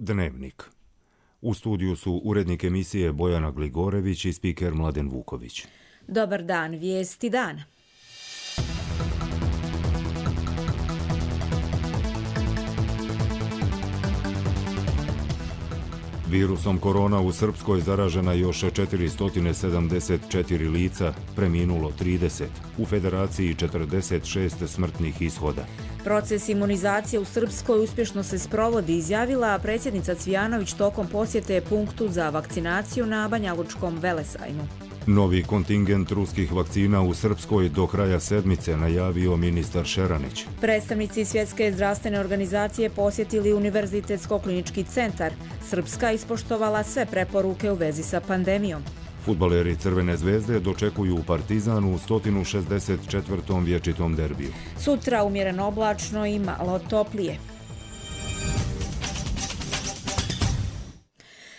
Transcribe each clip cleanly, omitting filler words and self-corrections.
Dnevnik. U studiju su urednik emisije Bojana Gligorević i spiker Mladen Vuković. Dobar dan, vijesti dana. Virusom korona u Srpskoj zaražena još 474 lica, preminulo 30, u Federaciji 46 smrtnih ishoda. Proces imunizacije u Srpskoj uspješno se sprovodi, izjavila predsjednica Cvijanović tokom posjete punktu za vakcinaciju na Banjalučkom velesajmu. Novi kontingent ruskih vakcina u Srpskoj do kraja sedmice, najavio ministar Šeranić. Predstavnici Svjetske zdravstvene organizacije posjetili Univerzitetsko-klinički centar. Srpska ispoštovala sve preporuke u vezi sa pandemijom. Fudbaleri Crvene zvezde dočekuju Partizan u 164. vječitom derbiju. Sutra umjereno oblačno i malo toplije.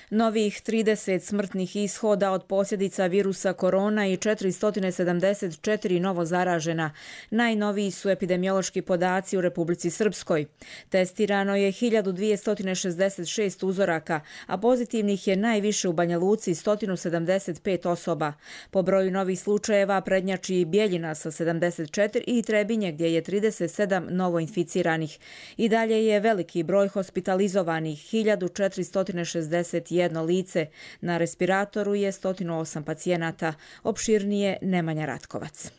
Novih 30 smrtnih ishoda od posljedica virusa korona i 474 novo zaražena. Najnoviji su epidemiološki podaci u Republici Srpskoj. Testirano je 1266 uzoraka, a pozitivnih je najviše u Banja Luci 175 osoba. Po broju novih slučajeva prednjači i Bjeljina sa 74 i Trebinje gdje je 37 novoinficiranih. I dalje je veliki broj hospitalizovanih, 1461 lice. Na respiratoru je 108 pacijenata. Opširnije Nemanja Ratkovac.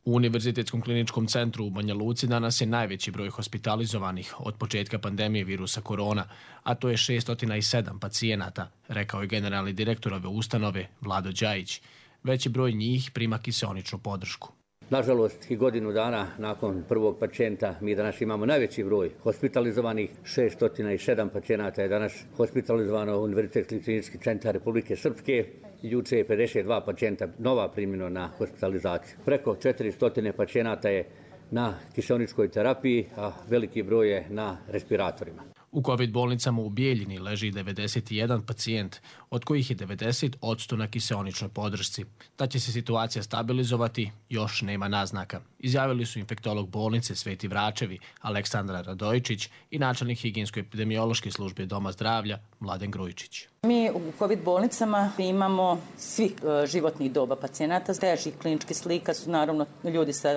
U Univerzitetskom kliničkom centru u Banja Luci danas je najveći broj hospitalizovanih od početka pandemije virusa korona, a to je 607 pacijenata, rekao je generalni direktor ove ustanove Vlado Đajić. Veći broj njih prima kiseoničnu podršku. Nažalost, i godinu dana nakon prvog pacijenta mi danas imamo najveći broj hospitalizovanih. 607 pacijenata je danas hospitalizovano u Univerzitetski klinički centar Republike Srpske. Juče je 52 pacijenta nova primljeno na hospitalizaciju. Preko 400 pacijenata je na kiseoničkoj terapiji, a veliki broj je na respiratorima. U COVID bolnicama u Bijeljini leži 91 pacijent, od kojih je 90% na kiseoničnoj podršci. Da će se situacija stabilizovati, još nema naznaka. Izjavili su infektolog bolnice Sveti Vračevi Aleksandar Radojičić i načelnik higijensko-epidemiološke službe Doma zdravlja Mladen Grujičić. Mi u COVID bolnicama imamo svih životnih doba pacijenata. Težih kliničkih slika su naravno ljudi sa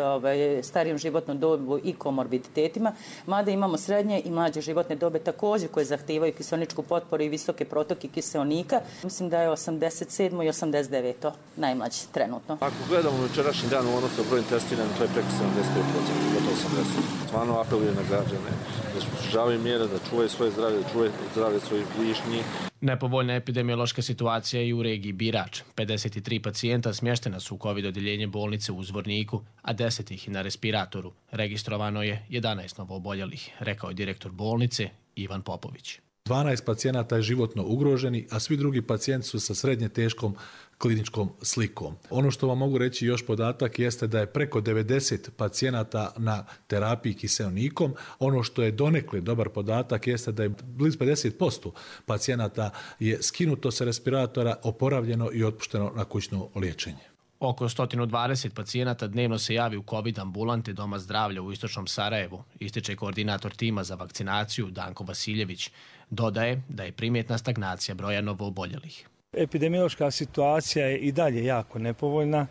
starijom životnom dobu i komorbiditetima, mada imamo srednje i mlađe životne dobe također koje zahtijevaju kiseoničku potporu i visoke protoke kiseonika. Mislim da je 87. i 89. najmlađi trenutno. Ako gledamo večerašnji dan u odnosu brojem testiranih, to je preko 75%, gotovo 80%. Stvarno apelujem na građane da se pridržavaju mjere, da čuvaju svoje zdravlje, da čuvaju zdravlje svojih bližnjih. Nepovoljna epidemiološka situacija je i u regiji Birač. 53 pacijenta smještena su u COVID odjeljenje bolnice u Zvorniku, a 10 ih na respiratoru. Registrovano je 11 novooboljelih, rekao je direktor bolnice Ivan Popović. 12 pacijenata je životno ugroženi, a svi drugi pacijenti su sa srednje teškom kliničkom slikom. Ono što vam mogu reći još podatak jeste da je preko 90 pacijenata na terapiji kiseonikom. Ono što je donekle dobar podatak jeste da je blizu 50% pacijenata je skinuto sa respiratora, oporavljeno i otpušteno na kućno liječenje. Oko 120 pacijenata dnevno se javi u COVID ambulante Doma zdravlja u istočnom Sarajevu, ističe koordinator tima za vakcinaciju Danko Vasiljević. Dodaje da je primjetna stagnacija broja novooboljelih. Epidemiološka situacija je i dalje jako nepovoljna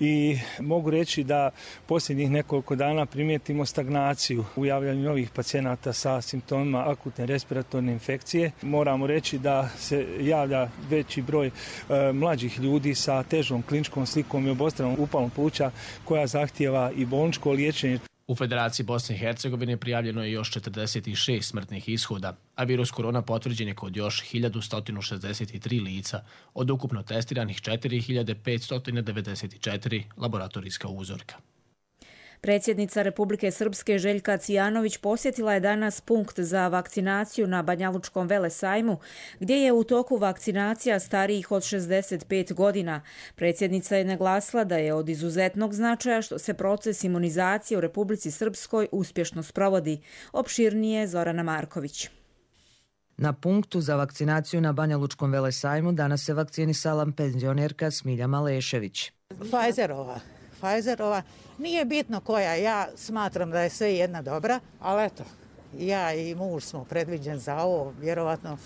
i mogu reći da posljednjih nekoliko dana primijetimo stagnaciju u javljanju novih pacijenata sa simptomima akutne respiratorne infekcije. Moramo reći da se javlja veći broj mlađih ljudi sa težom kliničkom slikom i obostranom upalom pluća koja zahtijeva i bolničko liječenje. U Federaciji Bosne i Hercegovine prijavljeno je još 46 smrtnih ishoda, a virus korona potvrđen je kod još 1163 lica, od ukupno testiranih 4594 laboratorijska uzorka. Predsjednica Republike Srpske Željka Cvijanović posjetila je danas punkt za vakcinaciju na Banjalučkom velesajmu, gdje je u toku vakcinacija starijih od 65 godina. Predsjednica je naglasila da je od izuzetnog značaja što se proces imunizacije u Republici Srpskoj uspješno sprovodi. Opširnije Zorana Marković. Na punktu za vakcinaciju na Banjalučkom velesajmu danas se vakcinisala penzionerka Smilja Malešević. Pfizerova, nije bitno koja, ja smatram da je sve jedna dobra, ali eto, Ja i muž smo predviđen za ovo, vjerovatno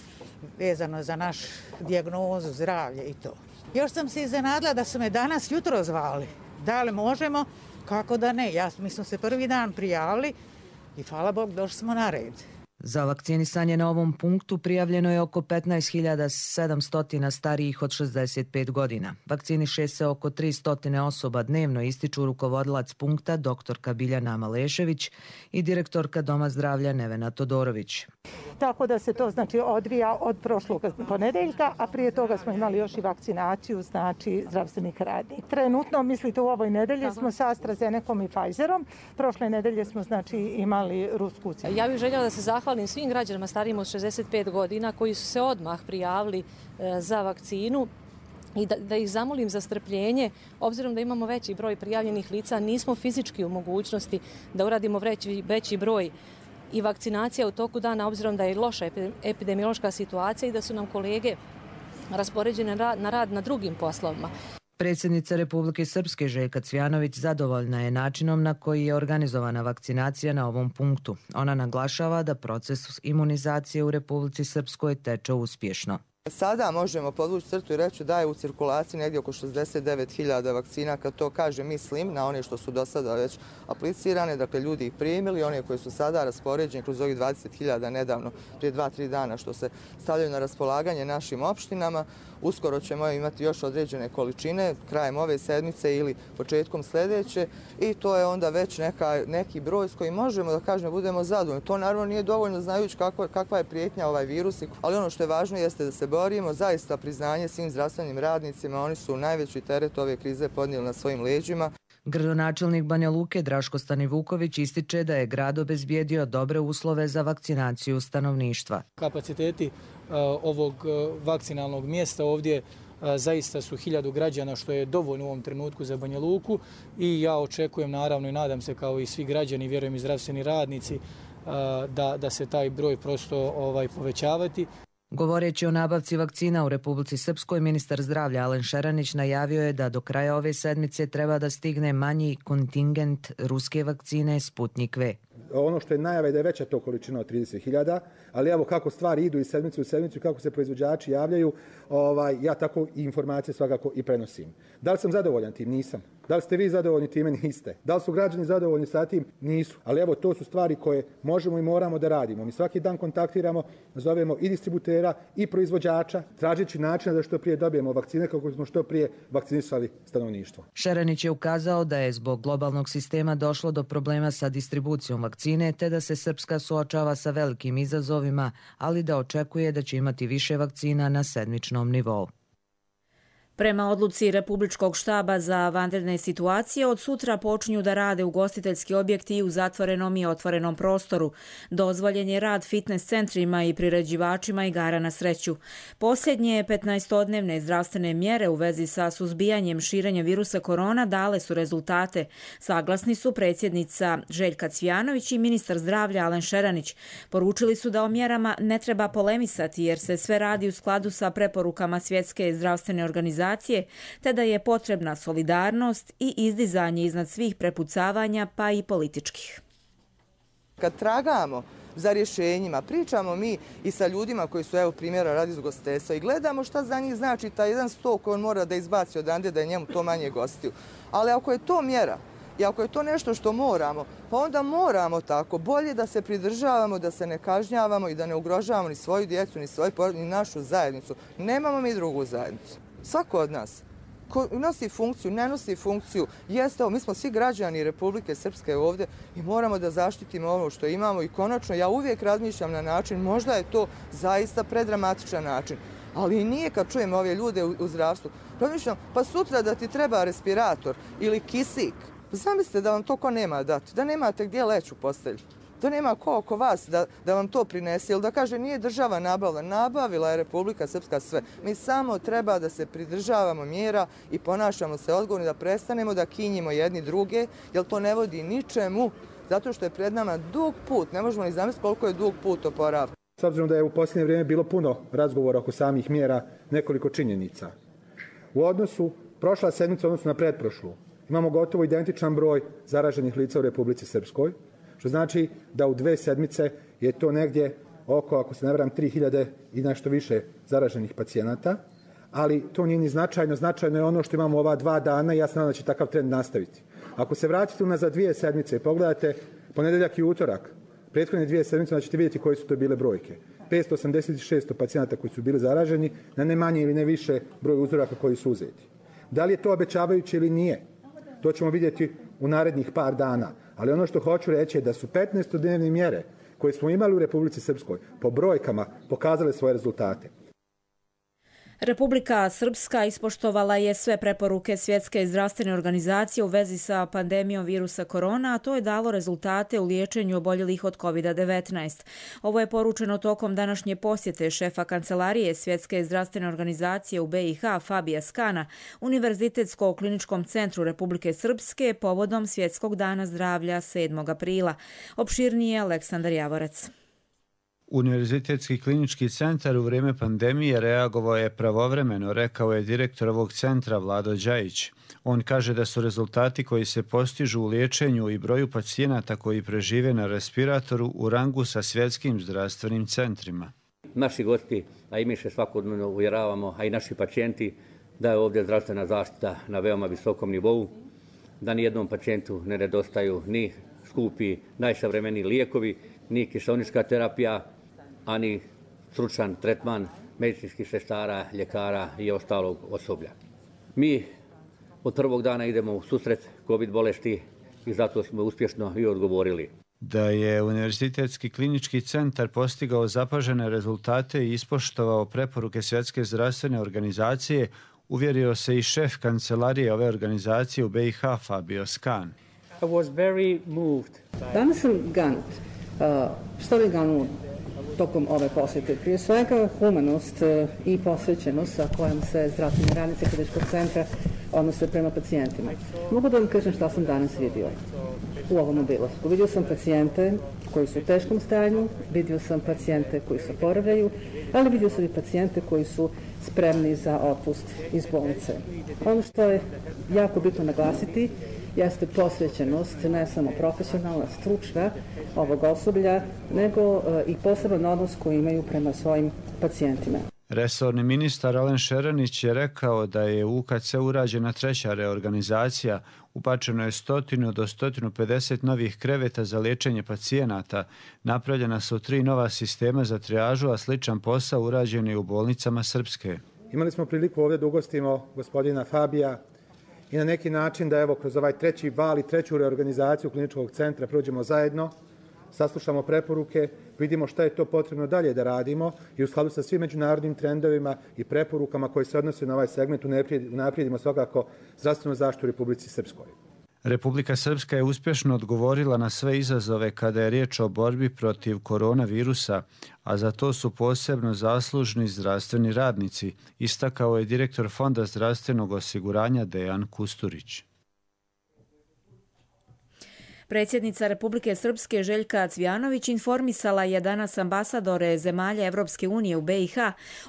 vezano za našu dijagnozu, zdravlje i to. Još sam se iznenadila da su me danas jutro zvali. Da li možemo? Kako da ne? Mi smo se prvi dan prijavili i hvala Bog došli smo na red. Za vakcinisanje na ovom punktu prijavljeno je oko 15.700 starijih od 65 godina. Vakciniše se oko 300 osoba dnevno, ističu rukovodilac punkta dr. Biljana Malešević i direktorka Doma zdravlja Nevena Todorović. Tako da se to odvija od prošlog ponedeljka, a prije toga smo imali još i vakcinaciju zdravstvenih radnika. Trenutno, mislite, u ovoj nedelji smo sa AstraZenecom i Pfizerom. Prošle nedelje smo imali rusku vakcinu. Ja bih željela da se zahvalim svim građanima starijim od 65 godina koji su se odmah prijavili za vakcinu i da ih zamolim za strpljenje. Obzirom da imamo veći broj prijavljenih lica, nismo fizički u mogućnosti da uradimo veći broj i vakcinacija u toku dana, obzirom da je loša epidemiološka situacija i da su nam kolege raspoređene na rad na drugim poslovima. Predsjednica Republike Srpske Željka Cvjanović zadovoljna je načinom na koji je organizovana vakcinacija na ovom punktu. Ona naglašava da proces imunizacije u Republici Srpskoj teče uspješno. Sada možemo podvući crtu i reći da je u cirkulaciji negdje oko 69.000 vakcina. Kad to kaže, mislim na one što su do sada već aplicirane, dakle ljudi ih primili, one koje su sada raspoređene kroz ovih 20.000 nedavno, prije 2-3 dana što se stavljaju na raspolaganje našim opštinama. Uskoro ćemo imati još određene količine, krajem ove sedmice ili početkom sljedeće i to je onda već neki broj s kojim možemo da kažemo budemo zadovoljni. To naravno nije dovoljno znajući kakva je prijetnja ovaj virus, ali ono što je važno jeste da se borimo, zaista priznanje svim zdravstvenim radnicima, oni su najveći teret ove krize podnijeli na svojim leđima. Gradonačelnik Banja Luke Draško Stanivuković ističe da je grad obezbijedio dobre uslove za vakcinaciju stanovništva. Kapaciteti ovog vakcinalnog mjesta ovdje zaista su 1000 građana, što je dovoljno u ovom trenutku za Banja Luku i ja očekujem, naravno i nadam se kao i svi građani, vjerujem i zdravstveni radnici, da se taj broj prosto povećavati. Govoreći o nabavci vakcina u Republici Srpskoj, ministar zdravlja Alen Šeranić najavio je da do kraja ove sedmice treba da stigne manji kontingent ruske vakcine Sputnik V. Ono što je najava je da je veća to količina od 30.000, ali evo kako stvari idu iz sedmice u sedmicu i kako se proizvođači javljaju, ja tako i informacije svakako i prenosim. Da li sam zadovoljan tim? Nisam. Da li ste vi zadovoljni time? Niste. Da li su građani zadovoljni sa tim? Nisu. Ali evo, to su stvari koje možemo i moramo da radimo. Mi svaki dan kontaktiramo, zovemo i distributera i proizvođača, tražeći načina da što prije dobijemo vakcine kako smo što prije vakcinisali stanovništvo. Šeranić je ukazao da je zbog globalnog sistema došlo do problema sa distribucijom vakcine, te da se Srpska suočava sa velikim izazovima, ali da očekuje da će imati više vakcina na sedmičnom nivou. Prema odluci Republičkog štaba za vanredne situacije, od sutra počinju da rade ugostiteljski objekti i u zatvorenom i otvorenom prostoru. Dozvoljen je rad fitness centrima i priređivačima igara na sreću. Posljednje 15-dnevne zdravstvene mjere u vezi sa suzbijanjem širenja virusa korona dale su rezultate. Saglasni su predsjednica Željka Cvjanović i ministar zdravlja Alen Šeranić. Poručili su da o mjerama ne treba polemisati jer se sve radi u skladu sa preporukama Svjetske zdravstvene organizacije, te da je potrebna solidarnost i izdizanje iznad svih prepucavanja, pa i političkih. Kad tragamo za rješenjima, pričamo mi i sa ljudima koji su, evo primjera radi iz ugostiteljstva, i gledamo šta za njih znači taj jedan sto koji on mora da izbaci odande da je njemu to manje gostiju. Ali ako je to mjera i ako je to nešto što moramo, pa onda moramo tako bolje da se pridržavamo, da se ne kažnjavamo i da ne ugrožavamo ni svoju djecu, ni svoju porodicu, ni našu zajednicu. Nemamo mi drugu zajednicu. Svako od nas ko nosi funkciju, ne nosi funkciju, jeste, mi smo svi građani Republike Srpske ovdje i moramo da zaštitimo ovo što imamo i konačno ja uvijek razmišljam na način, možda je to zaista predramatičan način, ali i nije kad čujem ove ljude u zdravstvu. Razmišljam, pa sutra da ti treba respirator ili kisik, zamislite da vam to ko nema dati, da nemate gdje leći u postelju. Da nema ko oko vas da vam to prinese ili da kaže nije država nabavila. Nabavila je Republika Srpska sve. Mi samo treba da se pridržavamo mjera i ponašamo se odgovorno, da prestanemo da kinjimo jedni druge, jer to ne vodi ničemu, zato što je pred nama dug put. Ne možemo ni zamisliti koliko je dug put oporavka. S obzirom da je u posljednje vrijeme bilo puno razgovora oko samih mjera, nekoliko činjenica. U odnosu prošla sedmica, odnosno na pretprošlu, imamo gotovo identičan broj zaraženih lica u Republici Srpskoj. Što znači da u 2 sedmice je to negdje oko, ako se ne varam, 3000 i nešto više zaraženih pacijenata, ali to nije ni značajno. Značajno je ono što imamo ova 2 dana i ja se nadam da će takav trend nastaviti. Ako se vratite unazad 2 sedmice i pogledate ponedjeljak i utorak, prethodne 2 sedmice, onda ćete vidjeti koje su to bile brojke. 586 pacijenata koji su bili zaraženi na ne manje ili ne više broj uzoraka koji su uzeti. Da li je to obećavajuće ili nije? To ćemo vidjeti u narednih par dana. Ali ono što hoću reći je da su 15-dnevne mjere koje smo imali u Republici Srpskoj po brojkama pokazale svoje rezultate. Republika Srpska ispoštovala je sve preporuke Svjetske zdravstvene organizacije u vezi sa pandemijom virusa korona, a to je dalo rezultate u liječenju oboljelih od COVID-19. Ovo je poručeno tokom današnje posjete šefa kancelarije Svjetske zdravstvene organizacije u BiH Fabija Skana Univerzitetskog kliničkom centru Republike Srpske povodom Svjetskog dana zdravlja 7. aprila. Opširnije Aleksandar Javorec. Univerzitetski klinički centar u vrijeme pandemije reagovao je pravovremeno, rekao je direktor ovog centra Vlado Đajić. On kaže da su rezultati koji se postižu u liječenju i broju pacijenata koji prežive na respiratoru u rangu sa svjetskim zdravstvenim centrima. Naši gosti, a i mi se svakodnevno uvjeravamo, a i naši pacijenti, da je ovdje zdravstvena zaštita na veoma visokom nivou, da ni jednom pacijentu ne nedostaju ni skupi, najsavremeniji lijekovi, ni kiseonička terapija, ani stručan tretman medicinskih sestara, ljekara i ostalog osoblja. Mi od prvog dana idemo u susret COVID bolesti i zato smo uspješno i odgovorili. Da je Univerzitetski klinički centar postigao zapažene rezultate i ispoštovao preporuke Svjetske zdravstvene organizacije, uvjerio se i šef kancelarije ove organizacije u BiH Fabio Skan. Danas sam ganut. Što mi ganut tokom ove posjete? Prije svega humanost i posvećenost sa kojom se zdravstveni radnici kliničkog centra odnose prema pacijentima. Mogu da vam kažem šta sam danas vidio u ovom obilasku. Vidio sam pacijente koji su u teškom stanju, vidio sam pacijente koji se oporavljaju, ali vidio sam i pacijente koji su spremni za otpust iz bolnice. Ono što je jako bitno naglasiti jeste posvećenost, ne samo profesionalna, stručna ovog osoblja, nego i poseban odnos koji imaju prema svojim pacijentima. Resorni ministar Alen Šeranić je rekao da je u UKC urađena 3. reorganizacija, upačeno je 100 do 150 novih kreveta za liječenje pacijenata, napravljena su 3 nova sistema za trijažu, a sličan posao urađen je u bolnicama Srpske. Imali smo priliku ovdje da ugostimo gospodina Fabija i na neki način da evo kroz ovaj 3. val i 3. reorganizaciju kliničkog centra prođemo zajedno, saslušamo preporuke, vidimo šta je to potrebno dalje da radimo i u skladu sa svim međunarodnim trendovima i preporukama koji se odnose na ovaj segment unaprijedimo svakako zdravstvenu zaštitu u Republici Srpskoj. Republika Srpska je uspješno odgovorila na sve izazove kada je riječ o borbi protiv koronavirusa, a za to su posebno zaslužni zdravstveni radnici, istakao je direktor Fonda zdravstvenog osiguranja Dejan Kusturić. Predsjednica Republike Srpske Željka Cvjanović informisala je danas ambasadore zemalja Evropske unije u BiH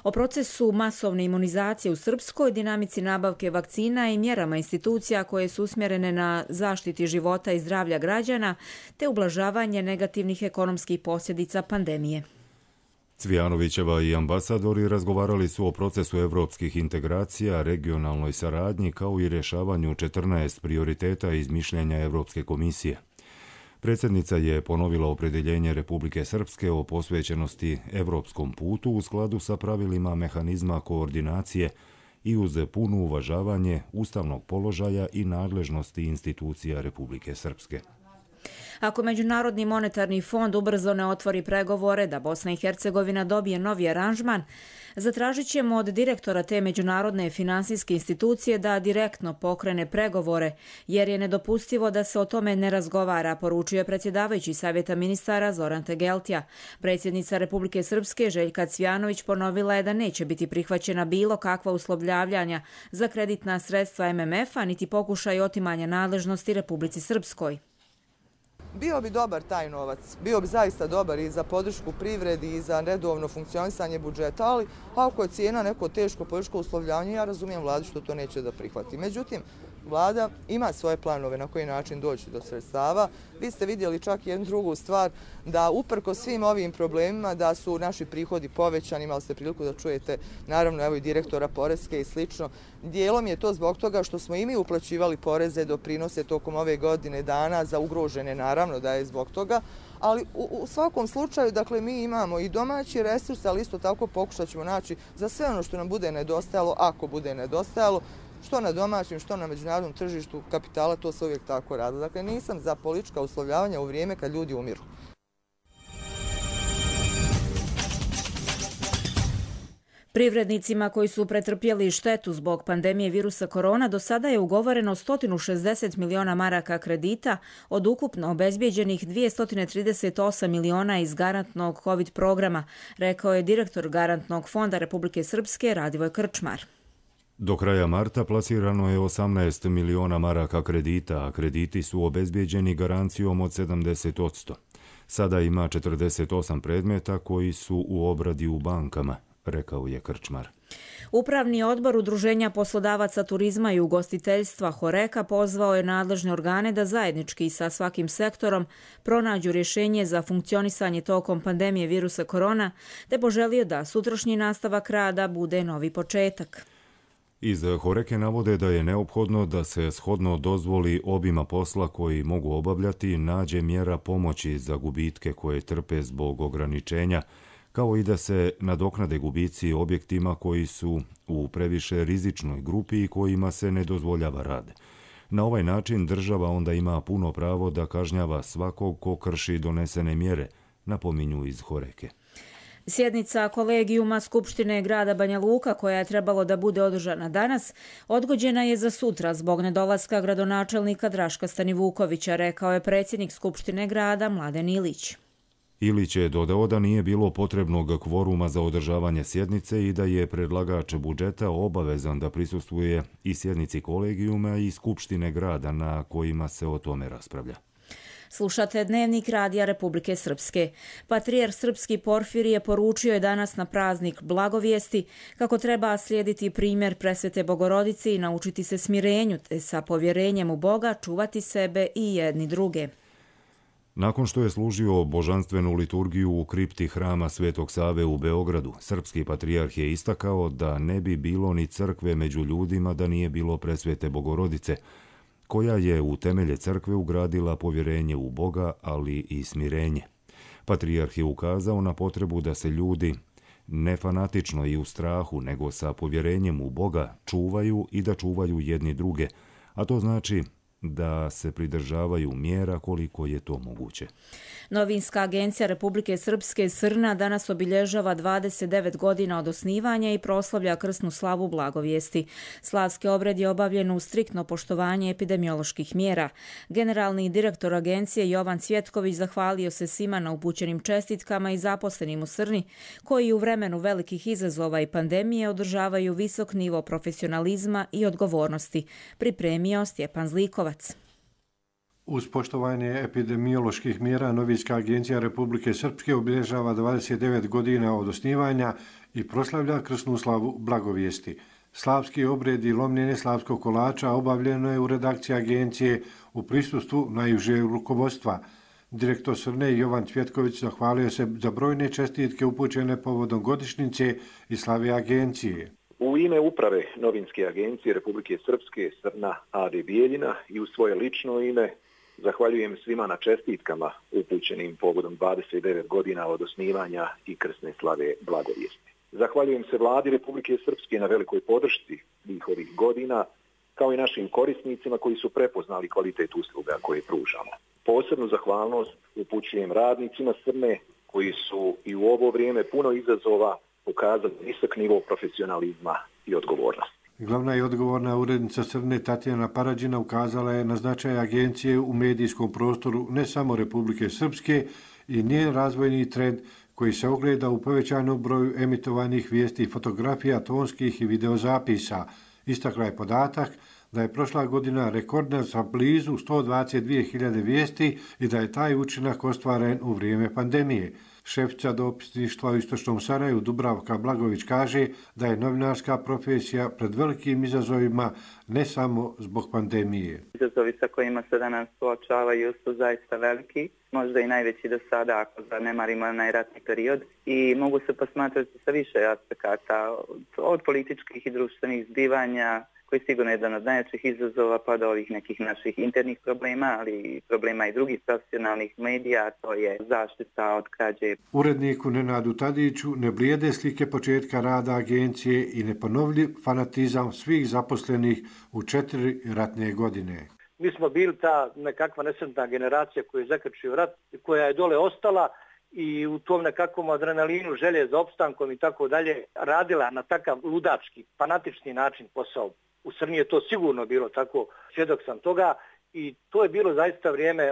o procesu masovne imunizacije u Srpskoj, dinamici nabavke vakcina i mjerama institucija koje su usmjerene na zaštiti života i zdravlja građana te ublažavanje negativnih ekonomskih posljedica pandemije. Cvjanovićeva i ambasadori razgovarali su o procesu evropskih integracija, regionalnoj saradnji kao i rješavanju 14 prioriteta iz mišljenja Evropske komisije. Predsjednica je ponovila opredjeljenje Republike Srpske o posvećenosti evropskom putu u skladu sa pravilima mehanizma koordinacije i uz puno uvažavanje ustavnog položaja i nadležnosti institucija Republike Srpske. Ako Međunarodni monetarni fond ubrzo ne otvori pregovore da Bosna i Hercegovina dobije novi aranžman, zatražit ćemo od direktora te međunarodne finansijske institucije da direktno pokrene pregovore, jer je nedopustivo da se o tome ne razgovara, poručio je predsjedavajući Savjeta ministara Zoran Tegeltija. Predsjednica Republike Srpske Željka Cvjanović ponovila je da neće biti prihvaćena bilo kakva uslovljavanja za kreditna sredstva MMF-a, niti pokušaj otimanja nadležnosti Republici Srpskoj. Bio bi dobar taj novac, bio bi zaista dobar i za podršku privredi i za redovno funkcionisanje budžeta, ali ako je cijena neko teško političko uslovljavanje, ja razumijem vladu što to neće da prihvati. Međutim, Vlada ima svoje planove na koji način doći do sredstava. Vi ste vidjeli čak jednu drugu stvar, da uprko svim ovim problemima da su naši prihodi povećani, imali ste priliku da čujete naravno evo i direktora Poreske i slično. Dijelom je to zbog toga što smo i mi uplaćivali poreze, doprinose tokom ove godine dana za ugrožene, naravno da je zbog toga, ali u svakom slučaju, dakle, mi imamo i domaći resurs, ali isto tako pokušat ćemo naći za sve ono što nam bude nedostajalo, ako bude nedostajalo, što na domaćem, što na međunarodnom tržištu kapitala, to se uvijek tako radi. Dakle, nisam za politička uslovljavanja u vrijeme kad ljudi umiru. Privrednicima koji su pretrpjeli štetu zbog pandemije virusa korona do sada je ugovoreno 160 miliona maraka kredita od ukupno obezbijeđenih 238 miliona iz garantnog COVID programa, rekao je direktor Garantnog fonda Republike Srpske Radivoj Krčmar. Do kraja marta plasirano je 18 miliona maraka kredita, a krediti su obezbijeđeni garancijom od 70%. Sada ima 48 predmeta koji su u obradi u bankama, rekao je Krčmar. Upravni odbor Udruženja poslodavaca turizma i ugostiteljstva Horeka pozvao je nadležne organe da zajednički sa svakim sektorom pronađu rješenje za funkcionisanje tokom pandemije virusa korona, te poželio da sutrašnji nastavak rada bude novi početak. Iz Horeke navode da je neophodno da se shodno dozvoli obima posla koji mogu obavljati nađe mjera pomoći za gubitke koje trpe zbog ograničenja, kao i da se nadoknade gubici objektima koji su u previše rizičnoj grupi i kojima se ne dozvoljava rad. Na ovaj način država onda ima puno pravo da kažnjava svakog ko krši donesene mjere, napominju iz Horeke. Sjednica kolegijuma Skupštine grada Banja Luka, koja je trebalo da bude održana danas, odgođena je za sutra zbog nedolaska gradonačelnika Draška Stanivukovića, rekao je predsjednik Skupštine grada Mladen Ilić. Ilić je dodao da nije bilo potrebnog kvoruma za održavanje sjednice i da je predlagač budžeta obavezan da prisustvuje i sjednici kolegijuma i Skupštine grada na kojima se o tome raspravlja. Slušate Dnevnik Radija Republike Srpske. Patrijarh srpski Porfirije poručio je danas na praznik Blagovijesti kako treba slijediti primjer Presvete Bogorodice i naučiti se smirenju, te sa povjerenjem u Boga čuvati sebe i jedni druge. Nakon što je služio božanstvenu liturgiju u kripti hrama Svetog Save u Beogradu, srpski patrijarh je istakao da ne bi bilo ni crkve među ljudima da nije bilo Presvete Bogorodice, koja je u temelje crkve ugradila povjerenje u Boga, ali i smirenje. Patrijarh je ukazao na potrebu da se ljudi ne fanatično i u strahu, nego sa povjerenjem u Boga čuvaju i da čuvaju jedni druge, a to znači da se pridržavaju mjera koliko je to moguće. Novinska agencija Republike Srpske Srna danas obilježava 29 godina od osnivanja i proslavlja krsnu slavu Blagovijesti. Slavski obred je obavljen u striktno poštovanje epidemioloških mjera. Generalni direktor agencije Jovan Cvjetković zahvalio se svima na upućenim čestitkama i zaposlenim u Srni, koji u vremenu velikih izazova i pandemije održavaju visok nivo profesionalizma i odgovornosti, pripremio Stjepan Zlikovac. Uz poštovanje epidemioloških mjera, Novinska agencija Republike Srpske obilježava 29 godina od osnivanja i proslavlja krsnu slavu Blagovijesti. Slavski obred i lomljenje slavskog kolača obavljeno je u redakciji agencije u prisustvu najužeg rukovodstva. Direktor Srne Jovan Cvjetković zahvalio se za brojne čestitke upućene povodom godišnjice i slave agencije. U ime uprave Novinske agencije Republike Srpske Srna A.D. Bijeljina i u svoje lično ime zahvaljujem svima na čestitkama upućenim povodom 29 godina od osnivanja i krsne slave Blagovijesti. Zahvaljujem se Vladi Republike Srpske na velikoj podršci svih ovih godina, kao i našim korisnicima koji su prepoznali kvalitet usluga koje pružamo. Posebnu zahvalnost upućujem radnicima Srne koji su i u ovo vrijeme puno izazova pokazali visok nivo profesionalizma i odgovornosti. Glavna i odgovorna urednica Srne Tatjana Parađina ukazala je na značaj agencije u medijskom prostoru ne samo Republike Srpske i njen razvojni trend koji se ogleda u povećanom broju emitovanih vijesti i fotografija, tonskih i videozapisa. Istakla je podatak da je prošla godina rekordna sa blizu 122.000 vijesti i da je taj učinak ostvaren u vrijeme pandemije. Šefica dopisništva u Istočnom Sarajevu Dubravka Blagović kaže da je novinarska profesija pred velikim izazovima ne samo zbog pandemije. Izazovi sa kojima se danas suočavaju su zaista veliki, možda i najveći do sada ako zanemarimo onaj ratni period i mogu se posmatrati sa više aspekata od političkih i društvenih zbivanja koji je sigurno jedan od najjačih izazova pa do ovih nekih naših internih problema, ali i problema i drugih profesionalnih medija, to je zaštita od krađe. Uredniku Nenadu Tadiću ne blijede slike početka rada agencije i neponovljiv fanatizam svih zaposlenih u 4 ratne godine. Mi smo bili ta nekakva nesretna generacija koja je zakrčio rat, koja je dole ostala i u tom nekakvom adrenalinu, želje za opstankom i tako dalje, radila na takav ludački, fanatični način posao. U Srbiji je to sigurno bilo tako, svjedok sam toga i to je bilo zaista vrijeme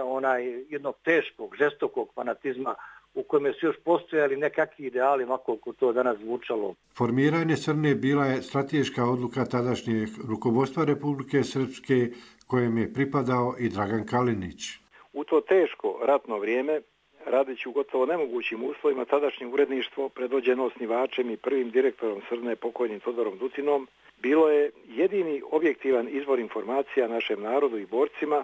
jednog teškog, žestokog fanatizma u kojem su još postojali nekakvi ideali, koliko to danas zvučalo. Formiranje Crne bila je strateška odluka tadašnjeg rukovodstva Republike Srpske kojem je pripadao i Dragan Kalinić. U to teško ratno vrijeme, radeći u gotovo nemogućim uslovima, tadašnje uredništvo predvođeno osnivačem i prvim direktorom Crne pokojnim Todorom Ducinom bilo je jedini objektivan izvor informacija našem narodu i borcima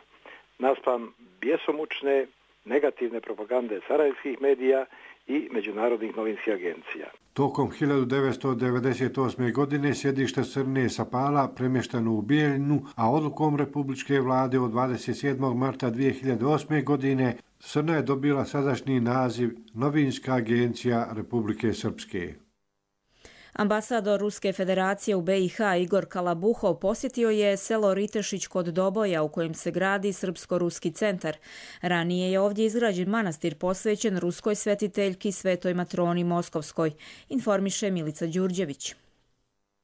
naspram bjesomučne negativne propagande sarajevskih medija i međunarodnih novinskih agencija. Tokom 1998. godine sjedište Crne sa Pala premješteno u Bijeljinu, a odlukom Republičke vlade od 27. marta 2008. godine Crna je dobila sadašnji naziv Novinska agencija Republike Srpske. Ambasador Ruske federacije u BiH Igor Kalabuhov posjetio je selo Ritešić kod Doboja u kojem se gradi Srpsko-ruski centar. Ranije je ovdje izgrađen manastir posvećen ruskoj svetiteljki Svetoj Matroni Moskovskoj, informiše Milica Đurđević.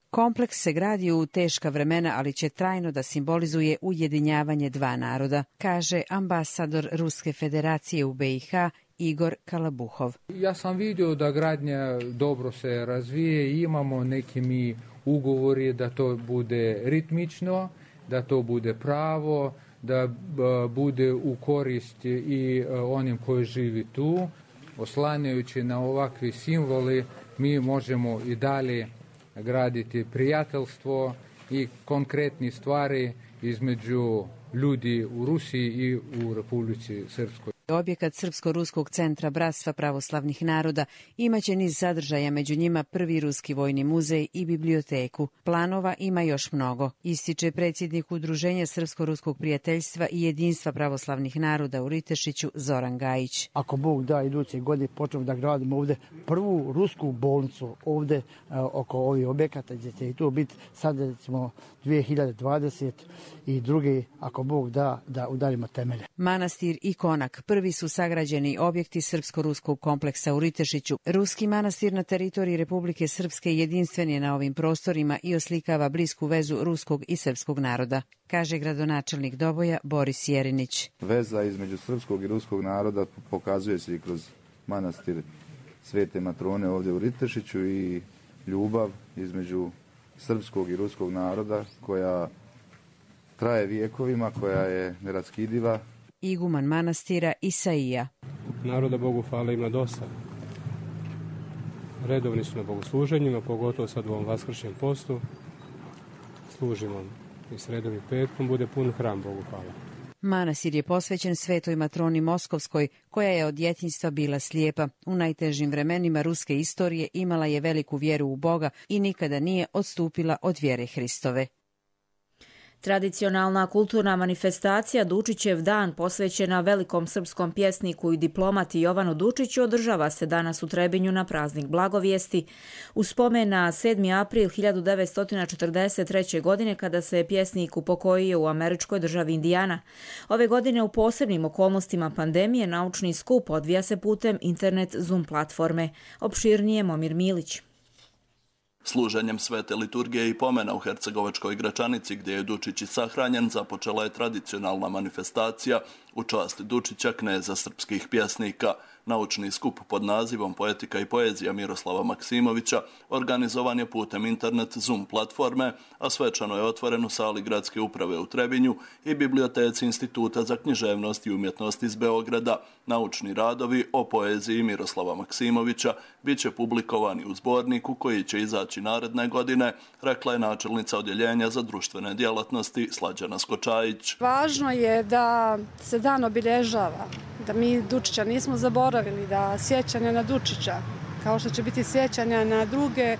Kompleks se gradi u teška vremena, ali će trajno da simbolizuje ujedinjavanje dva naroda, kaže ambasador Ruske federacije u BiH Igor Kalabuhov. Ja sam vidio da gradnja dobro se razvije i imamo neki mi ugovori da to bude ritmično, da to bude pravo, da bude u korist i onim koji živi tu. Oslanjajući na ovakvi simboli mi možemo i dalje graditi prijateljstvo i konkretne stvari između ljudi u Rusiji i u Republici Srpskoj. Objekat Srpsko-ruskog centra Bratstva pravoslavnih naroda imaće niz sadržaja, među njima prvi ruski vojni muzej i biblioteku. Planova ima još mnogo, ističe predsjednik Udruženja Srpsko-ruskog prijateljstva i jedinstva pravoslavnih naroda u Ritešiću Zoran Gajić. Ako Bog da, iduće godine počnemo da gradimo ovdje prvu rusku bolnicu ovdje oko ovih objekata gdje će i tu biti. Sad ćemo 2022. ako Bog da udarimo temelje. Manastir i konak prvi su sagrađeni objekti Srpsko-ruskog kompleksa u Ritešiću. Ruski manastir na teritoriji Republike Srpske jedinstven je na ovim prostorima i oslikava blisku vezu ruskog i srpskog naroda, kaže gradonačelnik Doboja Boris Jerinić. Veza između srpskog i ruskog naroda pokazuje se i kroz manastir Svete Matrone ovdje u Ritešiću i ljubav između srpskog i ruskog naroda koja traje vijekovima, koja je neraskidiva. Iguman manastira Isaija. Naroda Bogu hvala ima dosta. Redovni su na bogosluženjima, pogotovo sad u ovom vaskršnjem postu. Služimo i sredom i petkom, bude pun hram Bogu hvala. Manastir je posvećen Svetoj Matroni Moskovskoj, koja je od djetinjstva bila slijepa. U najtežim vremenima ruske istorije imala je veliku vjeru u Boga i nikada nije odstupila od vjere Hristove. Tradicionalna kulturna manifestacija Dučićev dan posvećena velikom srpskom pjesniku i diplomati Jovanu Dučiću održava se danas u Trebinju na praznik Blagovijesti u spomen na 7. april 1943. godine kada se je pjesnik upokojio u američkoj državi Indijana. Ove godine u posebnim okolnostima pandemije naučni skup odvija se putem internet Zoom platforme. Opširnije Momir Milić. Služenjem svete liturgije i pomena u Hercegovačkoj Gračanici, gdje je Dučić i sahranjen, započela je tradicionalna manifestacija u čast Dučića, kneza srpskih pjesnika. Naučni skup pod nazivom Poetika i poezija Miroslava Maksimovića organizovan je putem internet Zoom platforme, a svečano je otvoren u sali Gradske uprave u Trebinju i biblioteci Instituta za književnost i umjetnost iz Beograda. Naučni radovi o poeziji Miroslava Maksimovića bit će publikovani u zborniku koji će izaći naredne godine, rekla je načelnica odjeljenja za društvene djelatnosti Slađana Skočajić. Važno je da se dan obilježava, da mi Dučića nismo zaboravili, da sjećanja na Dučića, kao što će biti sjećanja na druge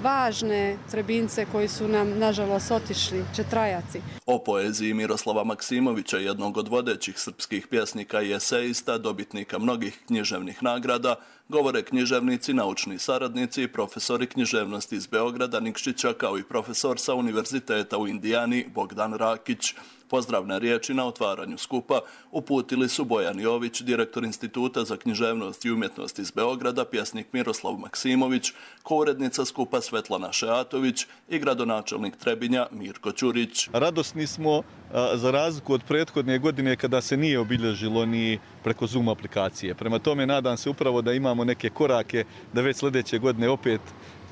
važne Trebince koji su nam, nažalost, otišli, će trajati. O poeziji Miroslava Maksimovića, jednog od vodećih srpskih pjesnika i eseista, dobitnika mnogih književnih nagrada, govore književnici, naučni saradnici i profesori književnosti iz Beograda Nikšića, kao i profesor sa Univerziteta u Indijani Bogdan Rakić. Pozdravne riječi na otvaranju skupa uputili su Bojan Jović, direktor Instituta za književnost i umjetnost iz Beograda, pjesnik Miroslav Maksimović, kourednica skupa Svetlana Šeatović i gradonačelnik Trebinja Mirko Ćurić. Radosni smo za razliku od prethodne godine kada se nije obilježilo ni preko Zoom aplikacije. Prema tome nadam se upravo da imamo neke korake da već sljedeće godine opet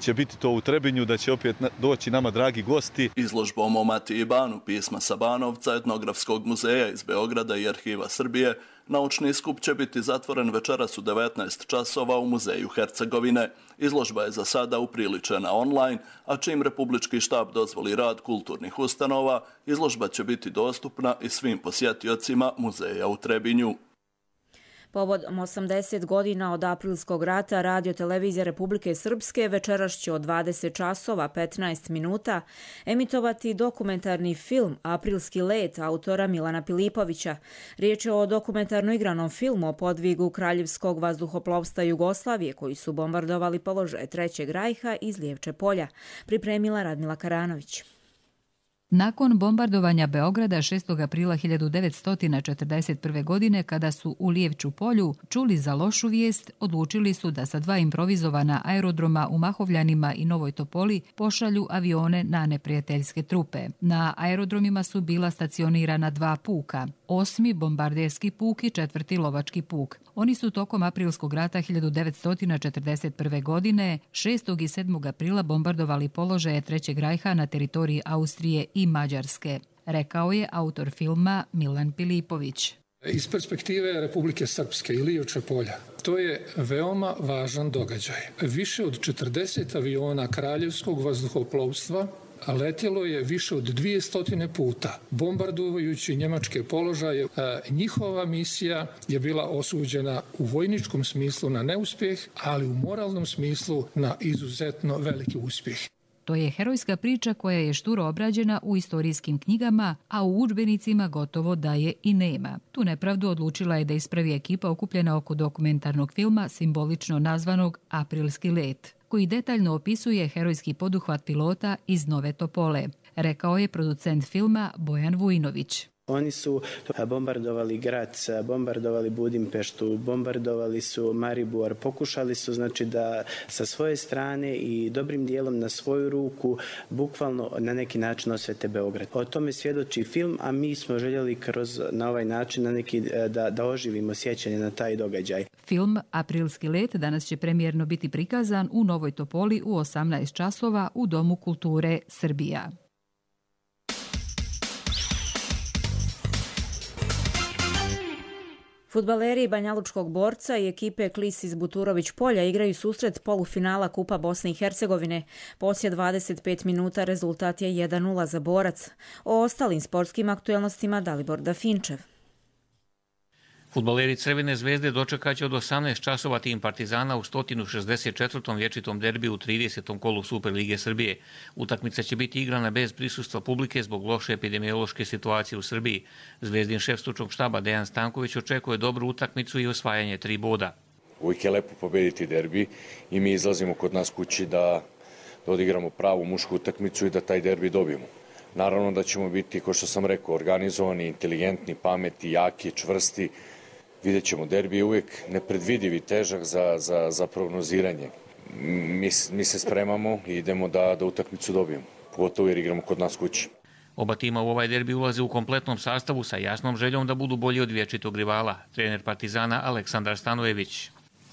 će biti to u Trebinju, da će opet doći nama dragi gosti. Izložbom o Matiji Banu, pisma sa Banovca, Etnografskog muzeja iz Beograda i Arhiva Srbije, naučni skup će biti zatvoren večeras u 19 časova u Muzeju Hercegovine. Izložba je za sada upriličena online, a čim Republički štab dozvoli rad kulturnih ustanova, izložba će biti dostupna i svim posjetiocima muzeja u Trebinju. Povodom 80 godina od Aprilskog rata Radio televizija Republike Srpske večeras će od 20 časova 15 minuta emitovati dokumentarni film Aprilski let autora Milana Pilipovića. Riječ je o dokumentarno igranom filmu o podvigu Kraljevskog vazduhoplovstva Jugoslavije koji su bombardovali položaje Trećeg rajha iz Lijevče polja. Pripremila Radmila Karanović. Nakon bombardovanja Beograda 6. aprila 1941. godine, kada su u Lijevču polju čuli za lošu vijest, odlučili su da sa 2 improvizovana aerodroma u Mahovljanima i Novoj Topoli pošalju avione na neprijateljske trupe. Na aerodromima su bila stacionirana 2 puka, 8. bombarderski puk i 4. lovački puk. Oni su tokom Aprilskog rata 1941. godine 6. i 7. aprila bombardovali položaje Trećeg rajha na teritoriji Austrije i Mađarske, rekao je autor filma Milan Pilipović. Iz perspektive Republike Srpske i Lijevče polja, to je veoma važan događaj. Više od 40 aviona Kraljevskog vazduhoplovstva letjelo je više od 200 puta, bombardujući njemačke položaje. Njihova misija je bila osuđena u vojničkom smislu na neuspjeh, ali u moralnom smislu na izuzetno veliki uspjeh. To je herojska priča koja je šturo obrađena u istorijskim knjigama, a u udžbenicima gotovo da je i nema. Tu nepravdu odlučila je da ispravi ekipa okupljena oko dokumentarnog filma simbolično nazvanog Aprilski let, koji detaljno opisuje herojski poduhvat pilota iz Nove Topole, rekao je producent filma Bojan Vujnović. Oni su bombardovali Grac, bombardovali Budimpeštu, bombardovali su Maribor, pokušali su znači da sa svoje strane i dobrim dijelom na svoju ruku bukvalno na neki način osvete Beograd. O tome svjedoči film, a mi smo željeli na ovaj način da oživimo sjećanje na taj događaj. Film Aprilski let danas će premijerno biti prikazan u Novoj Topoli u 18 časova u Domu kulture Srbija. Fudbaleri Banjalučkog Borca i ekipe Klis iz Buturović polja igraju susret polufinala Kupa Bosne i Hercegovine. Poslije 25 minuta rezultat je 1:0 za Borac. O ostalim sportskim aktuelnostima Dalibor Dafinčev. Fudbaleri Crvene zvezde dočekaće od 18 časova tim Partizana u 164. vječitom derbiju u 30. kolu Super Lige Srbije. Utakmica će biti igrana bez prisustva publike zbog loše epidemiološke situacije u Srbiji. Zvezdin šef stručnog štaba Dejan Stanković očekuje dobru utakmicu i osvajanje 3 boda. Uvijek je lepo pobediti derbi i mi izlazimo kod nas kući da odigramo pravu mušku utakmicu i da taj derbi dobijemo. Naravno da ćemo biti, kao što sam rekao, organizovani, inteligentni, pametni, jaki, čvrsti. Vidjet ćemo, derbi je uvijek nepredvidiv i težak za prognoziranje. Mi se spremamo i idemo da utakmicu dobijemo, pogotovo jer igramo kod nas kući. Oba tima u ovaj derbi ulaze u kompletnom sastavu sa jasnom željom da budu bolji od vječitog rivala, trener Partizana Aleksandar Stanojević.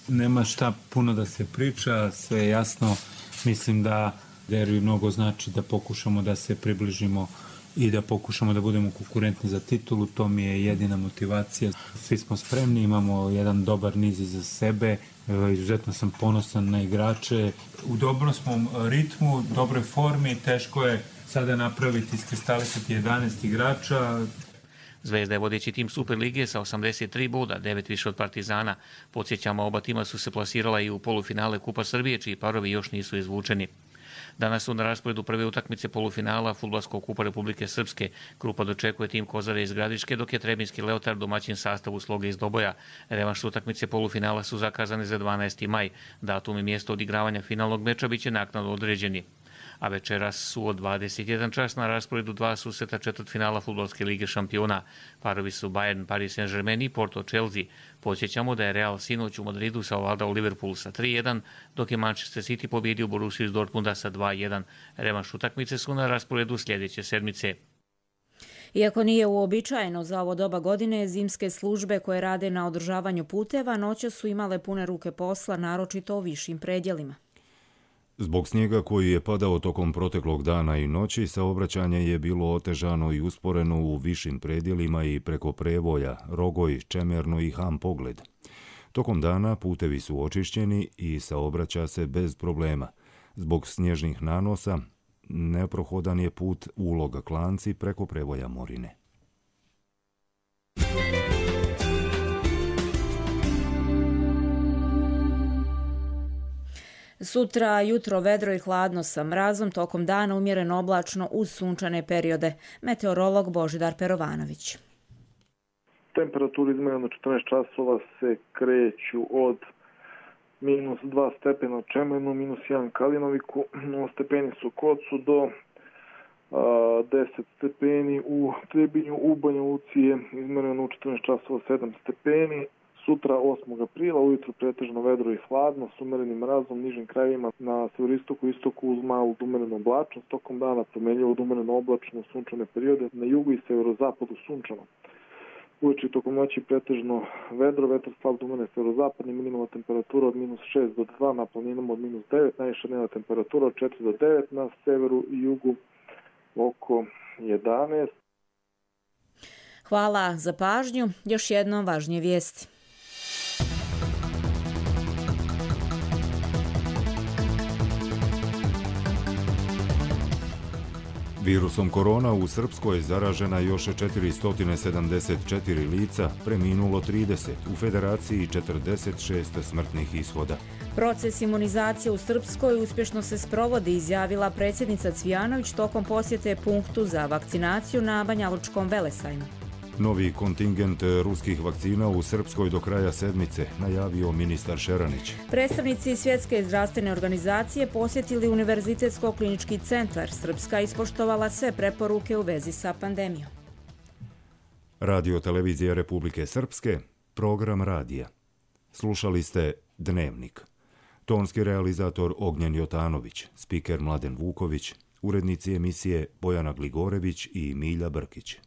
Nema šta puno da se priča, sve je jasno. Mislim da derbi mnogo znači da pokušamo da se približimo i da pokušamo da budemo konkurentni za titulu. To mi je jedina motivacija. Svi smo spremni, imamo jedan dobar niz iza sebe. Izuzetno sam ponosan na igrače. U dobrom smo ritmu, dobroj formi. Teško je sada napraviti, iskristalisati 11 igrača. Zvezda je vodeći tim Superlige sa 83 boda, 9 više od Partizana. Podsjećamo, oba tima su se plasirala i u polufinale Kupa Srbije, čiji parovi još nisu izvučeni. Danas su na rasporedu prve utakmice polufinala Fudbalskog kupa Republike Srpske. Grupa dočekuje tim Kozare iz Gradiške, dok je Trebinski Leotard domaćin sastavu Sloge iz Doboja. Revanš utakmice polufinala su zakazane za 12. maj. Datum i mjesto odigravanja finalnog meča biće naknadno određeni. A večeras su od 21 čas na rasporedu dva susreta četvrtfinala Fudbalske lige šampiona. Parovi su Bayern, Paris Saint-Germain i Porto Chelsea. Podsjećamo da je Real sinoć u Madridu savladao Liverpool sa 3-1, dok je Manchester City pobjedio Borussiju iz Dortmunda sa 2-1. Revanš utakmice su na rasporedu sljedeće sedmice. Iako nije uobičajeno za ovo doba godine, zimske službe koje rade na održavanju puteva noće su imale pune ruke posla, naročito u višim predjelima. Zbog snijega koji je padao tokom proteklog dana i noći, saobraćanje je bilo otežano i usporeno u višim predjelima i preko Prevolja, Rogoj, Čemerno i Ham Pogled. Tokom dana putevi su očišćeni i saobraća se bez problema. Zbog snježnih nanosa neprohodan je put Uloga Klanci preko Prevolja Morine. Sutra jutro vedro i hladno sa mrazom, tokom dana umjereno oblačno uz sunčane periode. Meteorolog Božidar Perovanović. Temperature izmjereno 14 časova se kreću od -2 stepena u Čemernu, -1 Kalinoviku, 0 stepeni su Kocu do 10 stepeni u Trebinju, u Banja Luci je izmjereno u 14 časova 7 stepeni. Sutra 8. aprila ujutro pretežno vedro i hladno s umerenim mrazom, nižim krajevima na severistoku i istoku uz malu umerenu oblačnost, tokom dana promenljivo od umereno oblačno sunčane periode, na jugu i severozapadu sunčano. Uveče tokom noći pretežno vedro, vetar slab do umeren severozapadni, minimalna temperatura od -6 do 2, na planinama od -9, najviša dnevna temperatura od 4 do 9, na severu i jugu oko 11. Hvala za pažnju. Još jednom važnije vijesti. Virusom korona u Srpskoj zaražena još 474 lica, preminulo 30, u Federaciji 46 smrtnih ishoda. Proces imunizacije u Srpskoj uspješno se sprovodi, izjavila predsjednica Cvijanović tokom posjete punktu za vakcinaciju na Banjalučkom velesajmu. Novi kontingent ruskih vakcina u Srpskoj do kraja sedmice, najavio ministar Šeranić. Predstavnici Svjetske zdravstvene organizacije posjetili Univerzitetsko-klinički centar. Srpska ispoštovala sve preporuke u vezi sa pandemijom. Radio televizija Republike Srpske, program radija. Slušali ste Dnevnik. Tonski realizator Ognjen Jotanović, spiker Mladen Vuković, urednici emisije Bojana Gligorević i Milja Brkić.